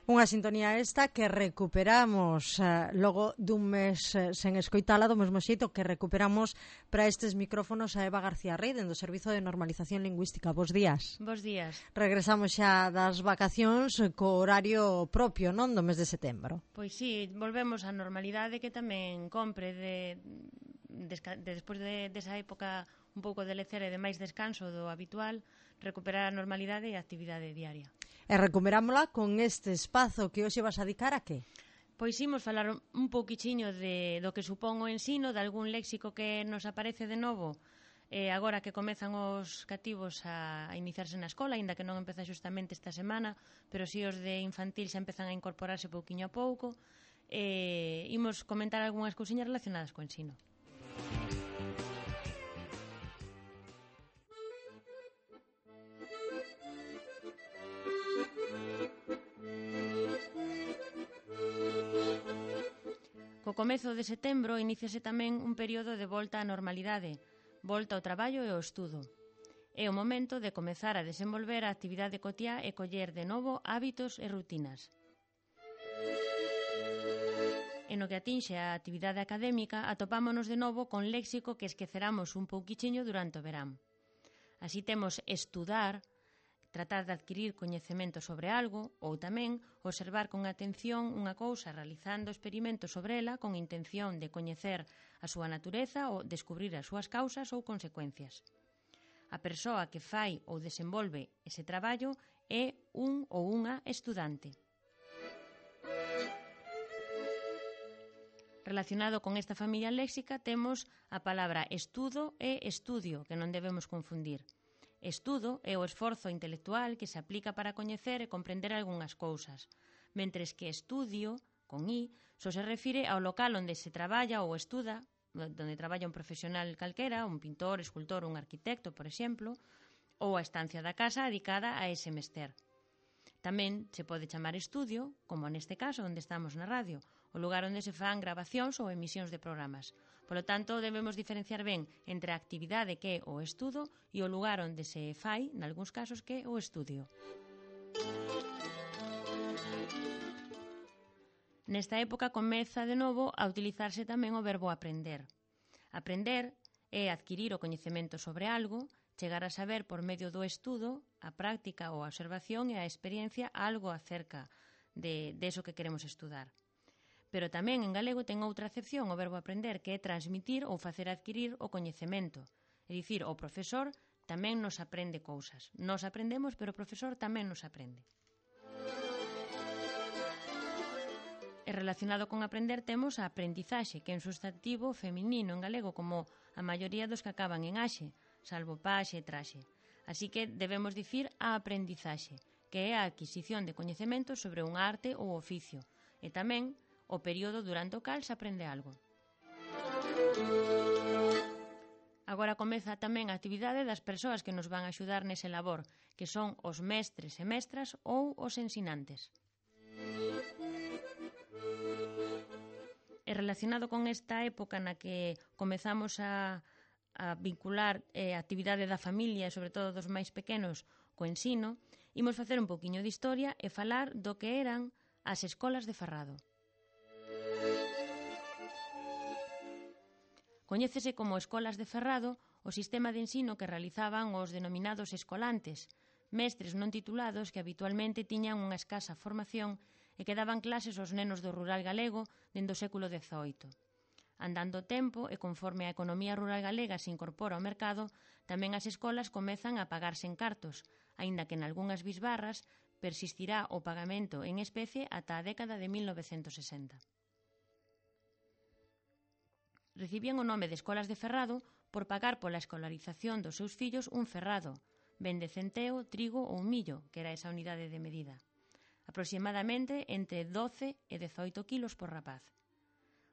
Unha sintonía esta que recuperamos logo dun mes sen escoitala, do mesmo xeito que recuperamos para estes micrófonos a Eva García Rey, dentro do Servizo de Normalización Lingüística. Bos días. Bos días. Regresamos xa das vacacións co horario propio, non, do mes de setembro. Pois sí, volvemos á normalidade que tamén compre despois desa época un pouco de lecer e de máis descanso do habitual, recuperar a normalidade e a actividade diaria. E recuperámola con este espazo que hoxe vas a dedicar a que? Pois imos falar un pouquichiño do que supón o ensino, de algún léxico que nos aparece de novo agora que comezan os cativos a iniciarse na escola, aínda que non empeza xustamente esta semana, pero si os de infantil xa empezan a incorporarse pouquiño a pouco. Imos comentar algunhas cousiñas relacionadas co ensino. Co comezo de setembro iníciase tamén un período de volta á normalidade, volta ao traballo e ao estudo. É o momento de comezar a desenvolver a actividade cotiá e coller de novo hábitos e rutinas. En o que atinxe a actividade académica, atopámonos de novo con léxico que esqueceramos un pouquichiño durante o verán. Así temos estudar, tratar de adquirir coñecemento sobre algo, ou tamén observar con atención unha cousa realizando experimentos sobre ela con intención de coñecer a súa natureza ou descubrir as súas causas ou consecuencias. A persoa que fai ou desenvolve ese traballo é un ou unha estudante. Relacionado con esta familia léxica temos a palabra estudo e estudio, que non debemos confundir. Estudo é o esforzo intelectual que se aplica para coñecer e comprender algunhas cousas, mentres que estudio, con I, só se refire ao local onde se traballa ou estuda, onde traballa un profesional calquera, un pintor, escultor, un arquitecto, por exemplo, ou a estancia da casa dedicada a ese mester. Tamén se pode chamar estudio, como neste caso onde estamos na radio, o lugar onde se fan grabacións ou emisións de programas. Polo tanto, debemos diferenciar ben entre a actividade que é o estudo e o lugar onde se fai, nalgúns casos, que é o estudio. Nesta época comeza de novo a utilizarse tamén o verbo aprender. Aprender é adquirir o coñecemento sobre algo, chegar a saber por medio do estudo, a práctica ou a observación e a experiencia algo acerca de eso que queremos estudar. Pero tamén en galego ten outra acepción o verbo aprender, que é transmitir ou facer adquirir o coñecemento. É dicir, o profesor tamén nos aprende cousas. Nos aprendemos, pero o profesor tamén nos aprende. E relacionado con aprender temos a aprendizaxe, que é un substantivo feminino en galego, como a maioría dos que acaban en axe, salvo paxe e traxe. Así que debemos dicir a aprendizaxe, que é a adquisición de coñecemento sobre un arte ou oficio, e tamén o período durante o cal se aprende algo. Agora comeza tamén a actividade das persoas que nos van a axudar nese labor, que son os mestres e mestras ou os ensinantes. E relacionado con esta época na que comezamos a vincular a actividade da familia e sobre todo dos máis pequenos co ensino, imos facer un pouquiño de historia e falar do que eran as escolas de Ferrado. Coñécese como escolas de Ferrado o sistema de ensino que realizaban os denominados escolantes, mestres non titulados que habitualmente tiñan unha escasa formación e que daban clases aos nenos do rural galego dende o século XVIII. Andando o tempo e conforme a economía rural galega se incorpora ao mercado, tamén as escolas comezan a pagarse en cartos, aínda que nalgunhas bisbarras persistirá o pagamento en especie ata a década de 1960. Recibían o nome de escolas de Ferrado por pagar pola escolarización dos seus fillos un ferrado, ben de centeo, trigo ou millo, que era esa unidade de medida. Aproximadamente entre 12 e 18 quilos por rapaz.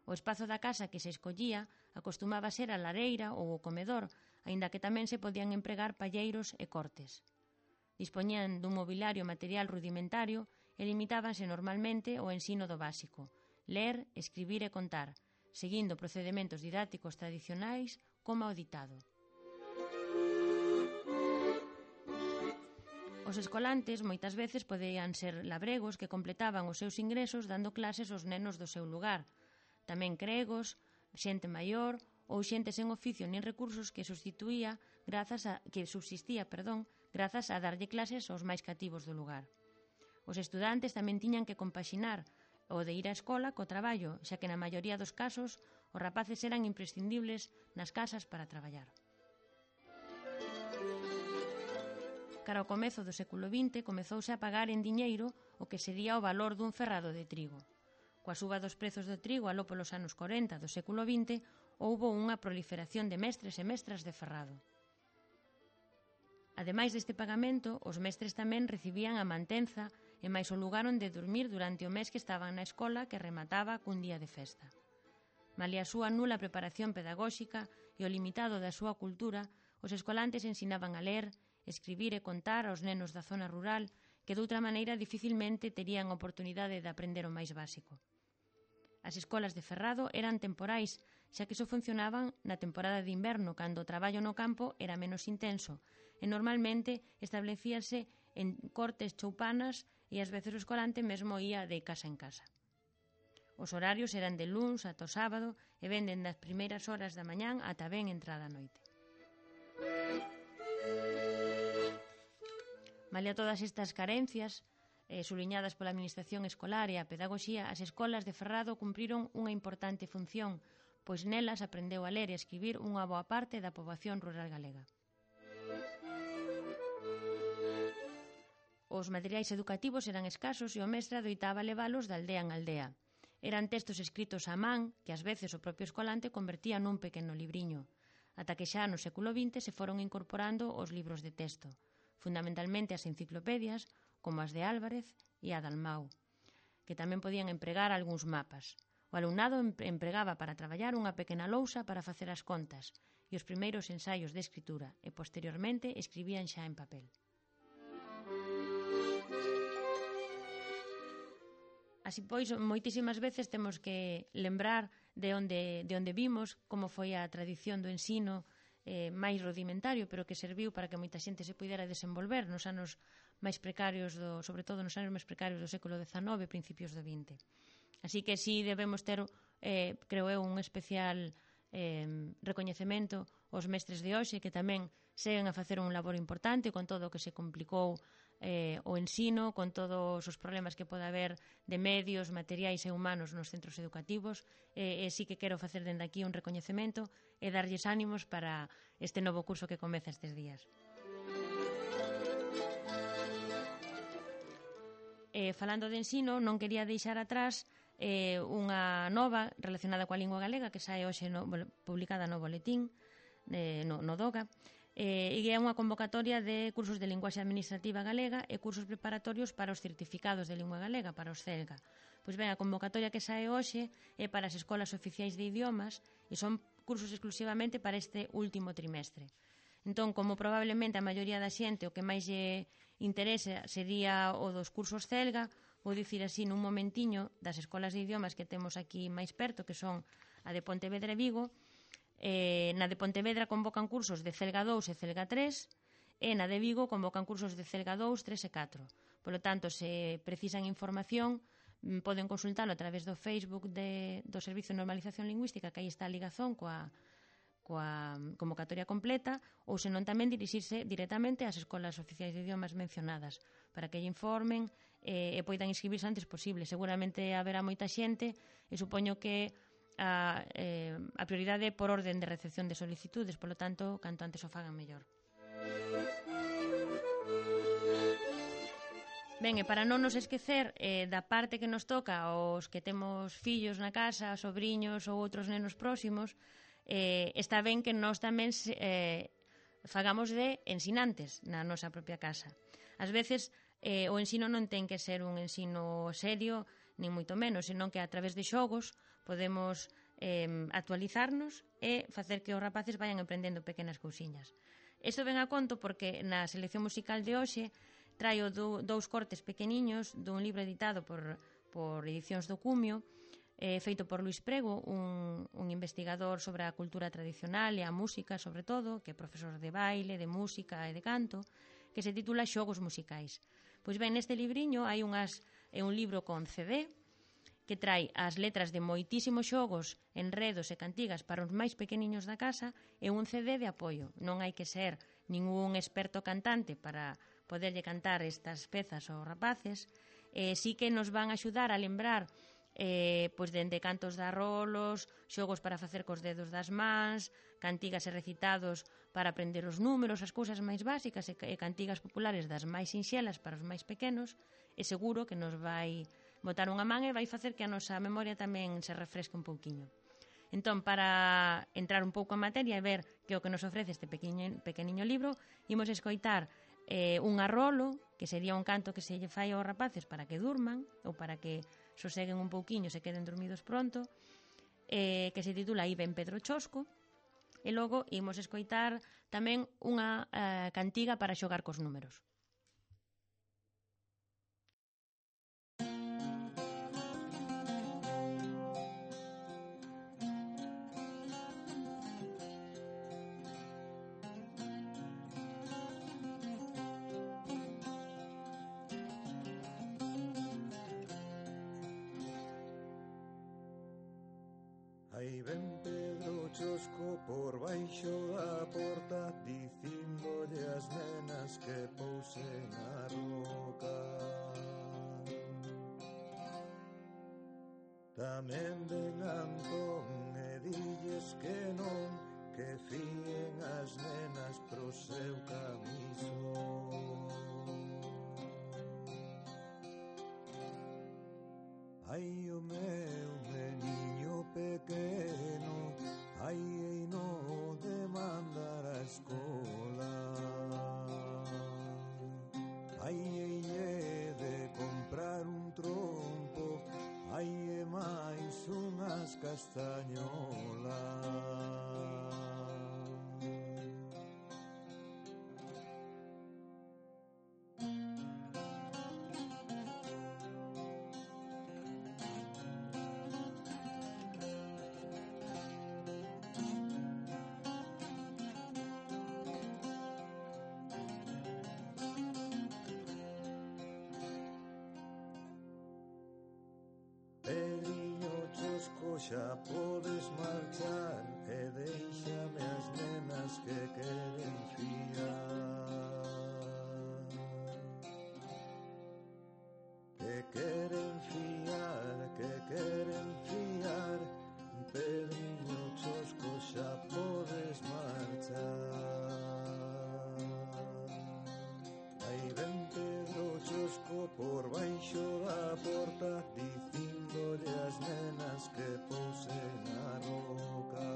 O espazo da casa que se escollía acostumaba ser a lareira ou o comedor, aínda que tamén se podían empregar palleiros e cortes. Dispoñían dun mobiliario material rudimentario e limitábanse normalmente ao ensino do básico, ler, escribir e contar, seguindo procedementos didácticos tradicionais como o ditado. Os escolantes moitas veces podían ser labregos que completaban os seus ingresos dando clases aos nenos do seu lugar. Tamén cregos, xente maior ou xente sen oficio nin recursos que subsistía grazas a darlle clases aos máis cativos do lugar. Os estudantes tamén tiñan que compaxinar o de ir á escola co traballo, xa que na maioría dos casos os rapaces eran imprescindibles nas casas para traballar. Cara ao comezo do século XX comezouse a pagar en diñeiro o que sería o valor dun ferrado de trigo. Coa suba dos prezos do trigo aló polos anos 40 do século XX houbo unha proliferación de mestres e mestras de ferrado. Ademais deste pagamento, os mestres tamén recibían a mantenza e máis o lugar onde dormir durante o mes que estaban na escola que remataba cun día de festa. Malia a súa nula preparación pedagóxica e o limitado da súa cultura, os escolantes ensinaban a ler, escribir e contar aos nenos da zona rural que doutra maneira dificilmente terían oportunidade de aprender o máis básico. As escolas de ferrado eran temporais, xa que só funcionaban na temporada de inverno, cando o traballo no campo era menos intenso, e normalmente establecíase en cortes choupanas e ás veces o escolante mesmo ía de casa en casa. Os horarios eran de luns ata o sábado e venden das primeiras horas da mañán ata ben entrada a noite. Malia todas estas carencias, suliñadas pola administración escolar e a pedagogía, as escolas de ferrado cumpriron unha importante función, pois nelas aprendeu a ler e a escribir unha boa parte da poboación rural galega. Os materiais educativos eran escasos e o mestre adoitaba levalos de aldea en aldea. Eran textos escritos á man que ás veces o propio escolante convertía nun pequeno libriño, ata que xa no século XX se foron incorporando os libros de texto, fundamentalmente as enciclopedias, como as de Álvarez e a Dalmau, que tamén podían empregar algúns mapas. O alumnado empregaba para traballar unha pequena lousa para facer as contas e os primeiros ensaios de escritura e, posteriormente, escribían xa en papel. Así pois, moitísimas veces temos que lembrar de onde vimos, como foi a tradición do ensino máis rudimentario, pero que serviu para que moita xente se pudera desenvolver nos anos máis precarios, sobre todo nos anos máis precarios do século XIX e principios do XX. Así que sí debemos ter, creo eu, un especial recoñecemento aos mestres de hoxe, que tamén seguen a facer un labor importante con todo o que se complicou o ensino, con todos os problemas que pode haber de medios, materiais e humanos nos centros educativos, e sí que quero facer dende aquí un recoñecemento e darlles ánimos para este novo curso que comeza estes días. Falando de ensino, non quería deixar atrás unha nova relacionada coa lingua galega que sae hoxe publicada no boletín, no DOGA, e é unha convocatoria de cursos de linguaxe administrativa galega e cursos preparatorios para os certificados de lingua galega, para os CELGA. Pois ben, a convocatoria que sae hoxe é para as escolas oficiais de idiomas e son cursos exclusivamente para este último trimestre. Entón, como probablemente a maioría da xente o que máis lle interesa sería o dos cursos CELGA, vou dicir así nun momentiño das escolas de idiomas que temos aquí máis perto, que son a de Pontevedra e Vigo. Na de Pontevedra convocan cursos de CELGA 2 e CELGA 3 e na de Vigo convocan cursos de CELGA 2, 3 e 4. Por lo tanto, se precisan información, poden consultalo a través do Facebook do Servizo de Normalización Lingüística, que aí está a ligazón coa convocatoria completa, ou senón tamén dirixirse directamente ás escolas oficiais de idiomas mencionadas para que lle informen e poidan inscribirse antes posible. Seguramente haberá moita xente e supoño que a prioridade é por orden de recepción de solicitudes, polo tanto, canto antes o fagan mellor. Ben, e para non nos esquecer da parte que nos toca aos que temos fillos na casa, sobriños ou outros nenos próximos, está ben que nós tamén fagamos de ensinantes na nosa propia casa. Ás veces o ensino non ten que ser un ensino serio, nin moito menos, senón que a través de xogos podemos actualizarnos e facer que os rapaces vayan aprendendo pequenas cousiñas. Isto ven a conto porque na selección musical de hoxe traio dous cortes pequeniños dun libro editado por Edicións do Cumio, feito por Luís Prego, un investigador sobre a cultura tradicional e a música, sobre todo, que é profesor de baile, de música e de canto, que se titula Xogos musicais. Pois ben, neste libriño é un libro con CD que trae as letras de moitísimos xogos, enredos e cantigas para os máis pequeniños da casa e un CD de apoio. Non hai que ser ningún experto cantante para poderlle cantar estas pezas aos rapaces. Sí que nos van a axudar a lembrar pois dende cantos de arrolos, xogos para facer cos dedos das mans, cantigas e recitados para aprender os números, as cousas máis básicas e cantigas populares das máis sinxelas para os máis pequenos, e seguro que nos vai botar unha man e vai facer que a nosa memoria tamén se refresque un pouquiño. Entón, para entrar un pouco en materia e ver que o que nos ofrece este pequeniño libro, imos escoitar un arrolo, que sería un canto que se lle fai aos rapaces para que durman ou para que soseguen un pouquiño e se queden dormidos pronto, que se titula Aí ven Pedro Chosco, e logo imos escoitar tamén unha cantiga para xogar cos números. Aí ven Pedro Chosco por baixo da porta, dicíndolle as nenas que pousen a roca. Tamén ven Antón e dilles que non, que fíen as nenas pro seu camisón. Ai, o meu meniño pequeno, ai, ei no de mandar a escola. Ai, ei de comprar un trompo, ai, e máis unhas castañolas. Pedriño Chosco, xa podes marchar e déixame as nenas que queren fiar. Que queren fiar, que queren fiar. Pedriño Chosco, xa podes marchar. Aí ven Pedro Chosco por baixo da porta, dicíndolle as nenas que pousen a roca.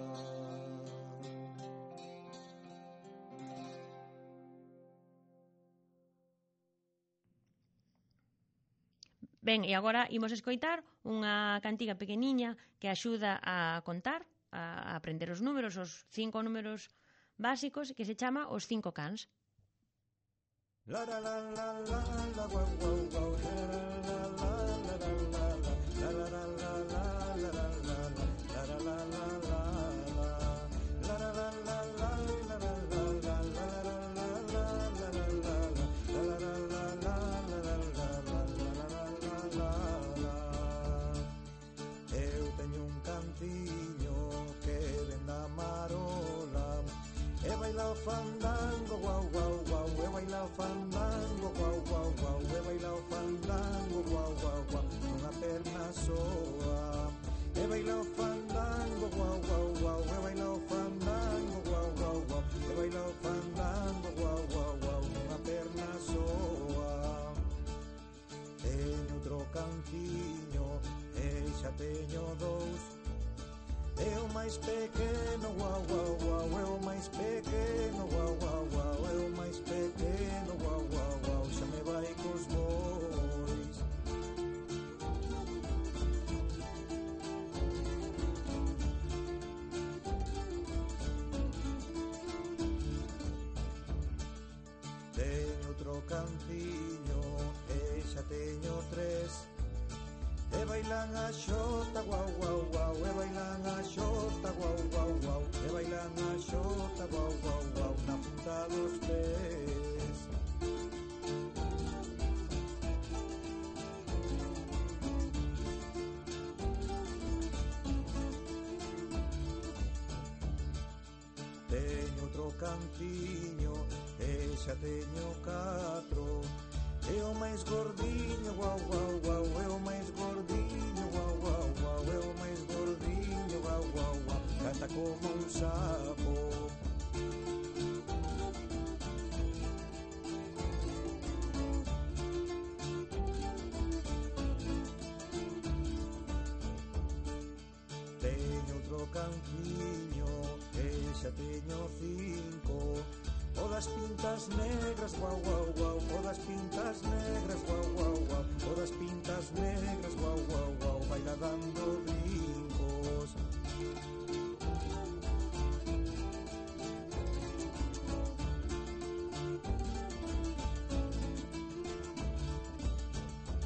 Ben, e agora imos escoitar unha cantiga pequeniña que axuda a contar, a aprender os números, os 5 números básicos, que se chama Os 5 cans. La la la la la la guau guau guau, la la la la la la la la la la la la la la la la la la. Eu teño un cantiño que ven da Marola e baila o fandango guau guau guau, e baila o fandango guau guau guau, e baila o fandango guau guau guau, nunha perna soa. E baila o fandango guau guau guau, e baila o fandango guau guau guau, e baila o fandango guau guau guau, nunha perna soa. Teño outro cantiño e xa teño dous, é o máis pequeno guau guau guau, é o máis pequeno guau guau guau, é o máis pequeno guau guau guau, xa me vai cos bois. Teño outro cantiño e xa teño tres, e bailan a xota guau guau guau, e bailan a xota guau guau guau, e bailan a xota guau guau guau, na punta dos pés. cantiño e xa teño 4. E o máis gordiño, guau, guau, guau, e o máis gordiño, guau, guau, guau, e o máis gordiño, guau, guau, guau, canta como un sapo. Teño outro canciño e xa teño 5. O das pintas negras, guau, guau, guau, o das pintas negras, guau, guau, guau, o das pintas negras, guau, guau, guau, baila dando brincos.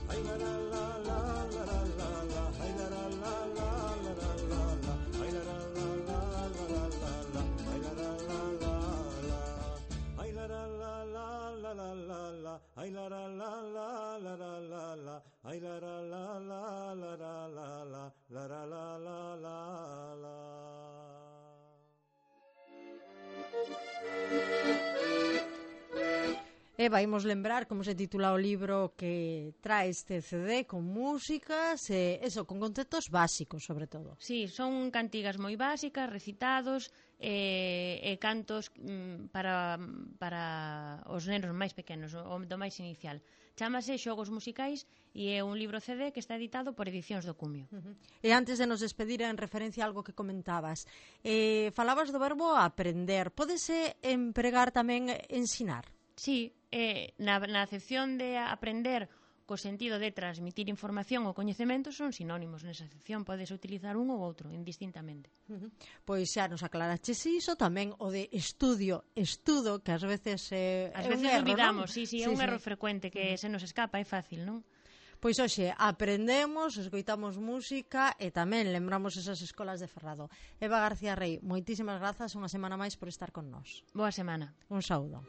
Ay la la la la la la la la, ay la la la la la la la la, ay la la la la la la la la, ay la la la la la, ay la la la la la la la la, ay la la la la la la la la, ay la la la la la la la la, la la la la la la. E vaimos lembrar como se titula o libro que trae este CD con músicas e eso, con conceptos básicos sobre todo. Sí, son cantigas moi básicas, recitados e cantos para os nenos máis pequenos, o do máis inicial. Chámase Xogos Musicais e é un libro CD que está editado por Edicións do Cumio. E antes de nos despedir, en referencia a algo que comentabas, falabas do verbo aprender. Pódese empregar tamén ensinar? Sí, na acepción de aprender co sentido de transmitir información ou coñecemento son sinónimos. Nesa acepción podes utilizar un ou outro, indistintamente. Pois xa nos aclaraches iso, tamén o de estudo, que ás veces é un erro, olvidamos, non? sí, é un erro frecuente que se nos escapa, é fácil, non? Pois hoxe aprendemos, escoitamos música e tamén lembramos esas escolas de Ferrado. Eva García Rey, moitísimas grazas unha semana máis por estar con nós. Boa semana. Un saúdo.